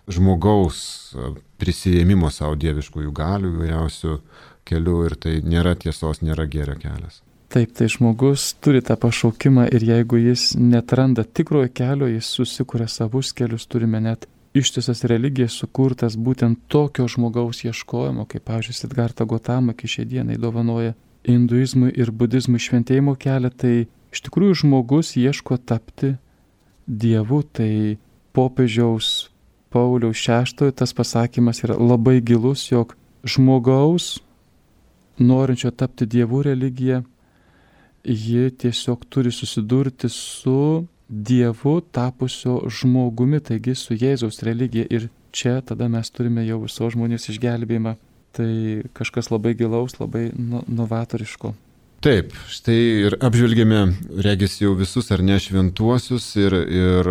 žmogaus prisijėmimo savo dieviškųjų galių įvairiausių kelių ir tai nėra tiesos, nėra gėrio kelias. Taip, tai žmogus turi tą pašaukimą ir jeigu jis netranda tikrojo kelio, jis susikuria savus kelius. Turime net ištisas religijas sukurtas būtent tokio žmogaus ieškojimo, kaip, pavyzdžiui, Siddhartha Gautama iki šiai dienai dovanoja hinduizmui ir budizmui šventėjimo kelią. Tai iš tikrųjų žmogus ieško tapti Dievu. Tai popiežiaus Pauliaus šeštojo tas pasakymas yra labai gilus, jog žmogaus norinčio tapti Dievu religija, ji tiesiog turi susidurti su Dievu tapusio žmogumi, taigi su Jėzaus religija. Ir čia tada mes turime jau visos žmonijos išgelbėjimą. Tai kažkas labai gilaus, labai novatoriško. Taip, štai ir apžvelgėme, regis jau visus ar ne šventuosius ir, ir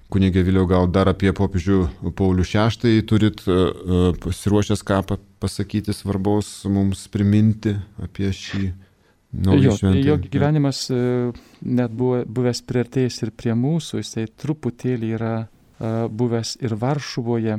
kunigė Viliau, gal dar apie popiežių Paulių šeštąjį turit uh, pasiruošęs ką pasakyti svarbaus mums priminti apie šį. Jo, jo gyvenimas net buvo, buvęs priartėjęs ir prie mūsų, jisai truputėlį yra uh, buvęs ir Varšuvoje,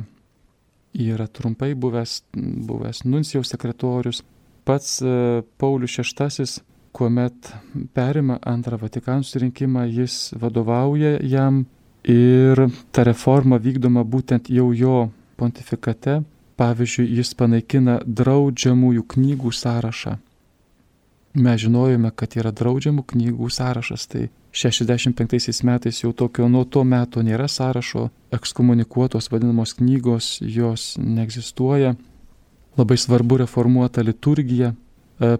yra trumpai buvęs, buvęs nuncijaus sekretorius. Pats uh, Paulius šeštasis, kuomet perima antrą Vatikano susirinkimą, jis vadovauja jam ir ta reforma vykdoma būtent jau jo pontifikate. Pavyzdžiui, jis panaikina draudžiamųjų knygų sąrašą. Mes žinojome, kad yra draudžiamų knygų sąrašas, tai šešiasdešimt penktaisiais metais jau tokio nuo to meto nėra sąrašo, ekskomunikuotos vadinamos knygos, jos neegzistuoja. Labai svarbu reformuota liturgija,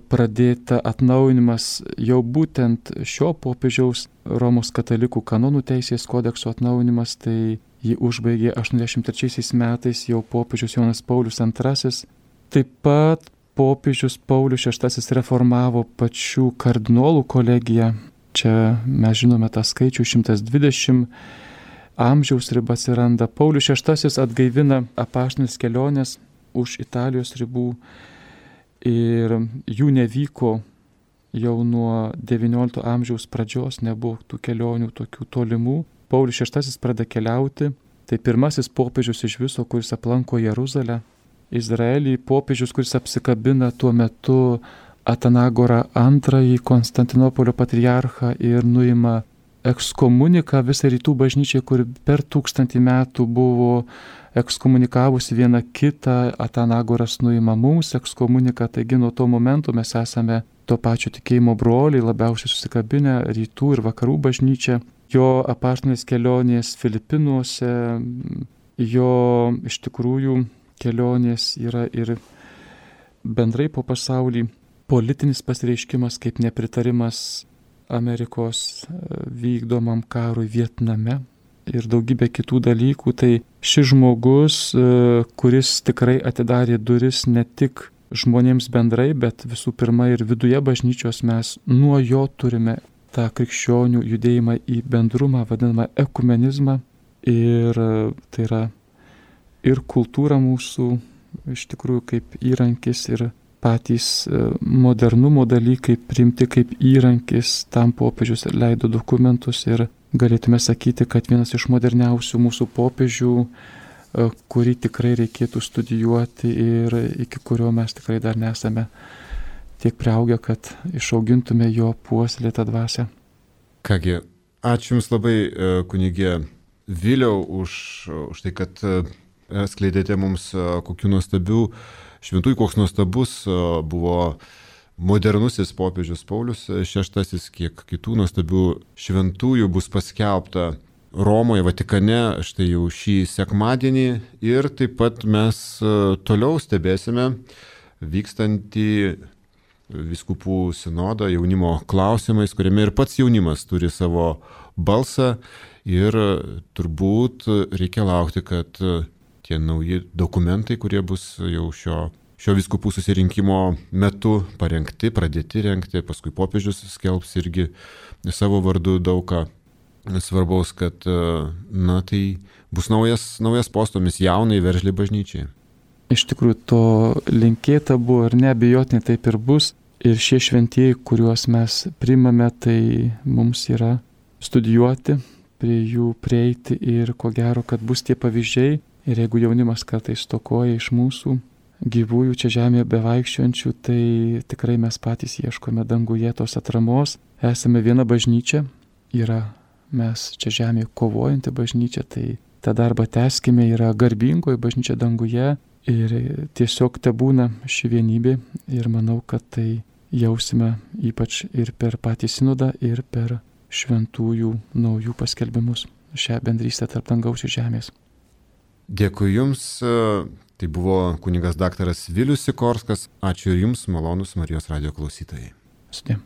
pradėta atnaujinimas jau būtent šio popiežiaus Romos katalikų kanonų teisės kodekso atnaujinimas, tai jį užbaigė aštuoniasdešimt trečiaisiais metais jau popiežius Jonas Paulius antrasis. Taip pat popiežius Paulius šeštasis reformavo pačių kardinolų kolegiją. Čia mes žinome tą skaičių šimtas dvidešimt, amžiaus riba atsiranda. Paulius šeštasis atgaivina apaštalinės kelionės už Italijos ribų ir jų nevyko jau nuo devyniolikto amžiaus pradžios nebuvo tų kelionių tokių tolimų. Paulius šeštasis pradeda keliauti, tai pirmasis popiežius iš viso, kuris aplanko Jeruzalę. Izraelį popiežius, kuris apsikabina tuo metu Atanagorą antrąjį Konstantinopolio patriarchą ir nuima ekskomuniką visą rytų bažnyčiai, kur per tūkstantį metų buvo ekskomunikavusi viena kitą, Atanagoras nuima mums ekskomuniką, taigi nuo to momento mes esame to pačio tikėjimo broliai, labiausiai susikabinę rytų ir vakarų bažnyčią. Jo apaštalinės kelionės Filipinuose, jo iš tikrųjų kelionės yra ir bendrai po pasaulį politinis pasireiškimas kaip nepritarimas Amerikos vykdomam karui Vietname ir daugybė kitų dalykų. Tai šis žmogus, kuris tikrai atidarė duris ne tik žmonėms bendrai, bet visų pirma ir viduje bažnyčios, mes nuo jo turime tą krikščionių judėjimą į bendrumą, vadinamą ekumenizmą. Ir tai yra ir kultūra mūsų iš tikrųjų kaip įrankis ir patys modernumo dalykai priimti kaip įrankis, tam popiežius leido dokumentus ir galėtume sakyti, kad vienas iš moderniausių mūsų popiežių, kurį tikrai reikėtų studijuoti ir iki kurio mes tikrai dar nesame tiek priaugę, kad išaugintume jo puoselėtą dvasią. Kągi, ačiū Jums labai, kunigė Viliau, už, už tai, kad skleidėte mums kokių nuostabių šventųjų, koks nuostabus buvo modernusis popiežius Paulius šeštasis, kiek kitų nuostabių šventųjų bus paskelbta Romoje, Vatikane, štai jau šį sekmadienį. Ir taip pat mes toliau stebėsime vykstantį vyskupų sinodą jaunimo klausimais, kuriame ir pats jaunimas turi savo balsą. Ir turbūt reikia laukti, kad tie nauji dokumentai, kurie bus jau šio, šio vyskupų susirinkimo metu parengti, pradėti rengti, paskui popiežius skelbs irgi savo vardu daug ką svarbaus, kad na, tai bus naujas, naujas postomis jaunai veržliai bažnyčiai. Iš tikrųjų to linkėta buvo ir neabejotinai taip ir bus. Ir šie šventieji, kuriuos mes priimame, tai mums yra studijuoti, prie jų prieiti ir ko gero, kad bus tie pavyzdžiai. Ir jeigu jaunimas kartais stokoja iš mūsų gyvųjų čia žemėje bevaikščiojančių, tai tikrai mes patys ieškome danguje tos atramos. Esame viena bažnyčia, yra mes čia žemėje kovojanti bažnyčia, tai tą darbą tęskime, yra garbingoji bažnyčia danguje ir tiesiog tebūna ši vienybė ir manau, kad tai jausime ypač ir per patį sinodą, ir per šventųjų naujų paskelbimus, šią bendrystę tarp dangaus ir žemės. Dėkui Jums, tai buvo kunigas daktaras Vilius Sikorskas, ačiū ir Jums, malonūs Marijos radijo klausytojai. Sudė.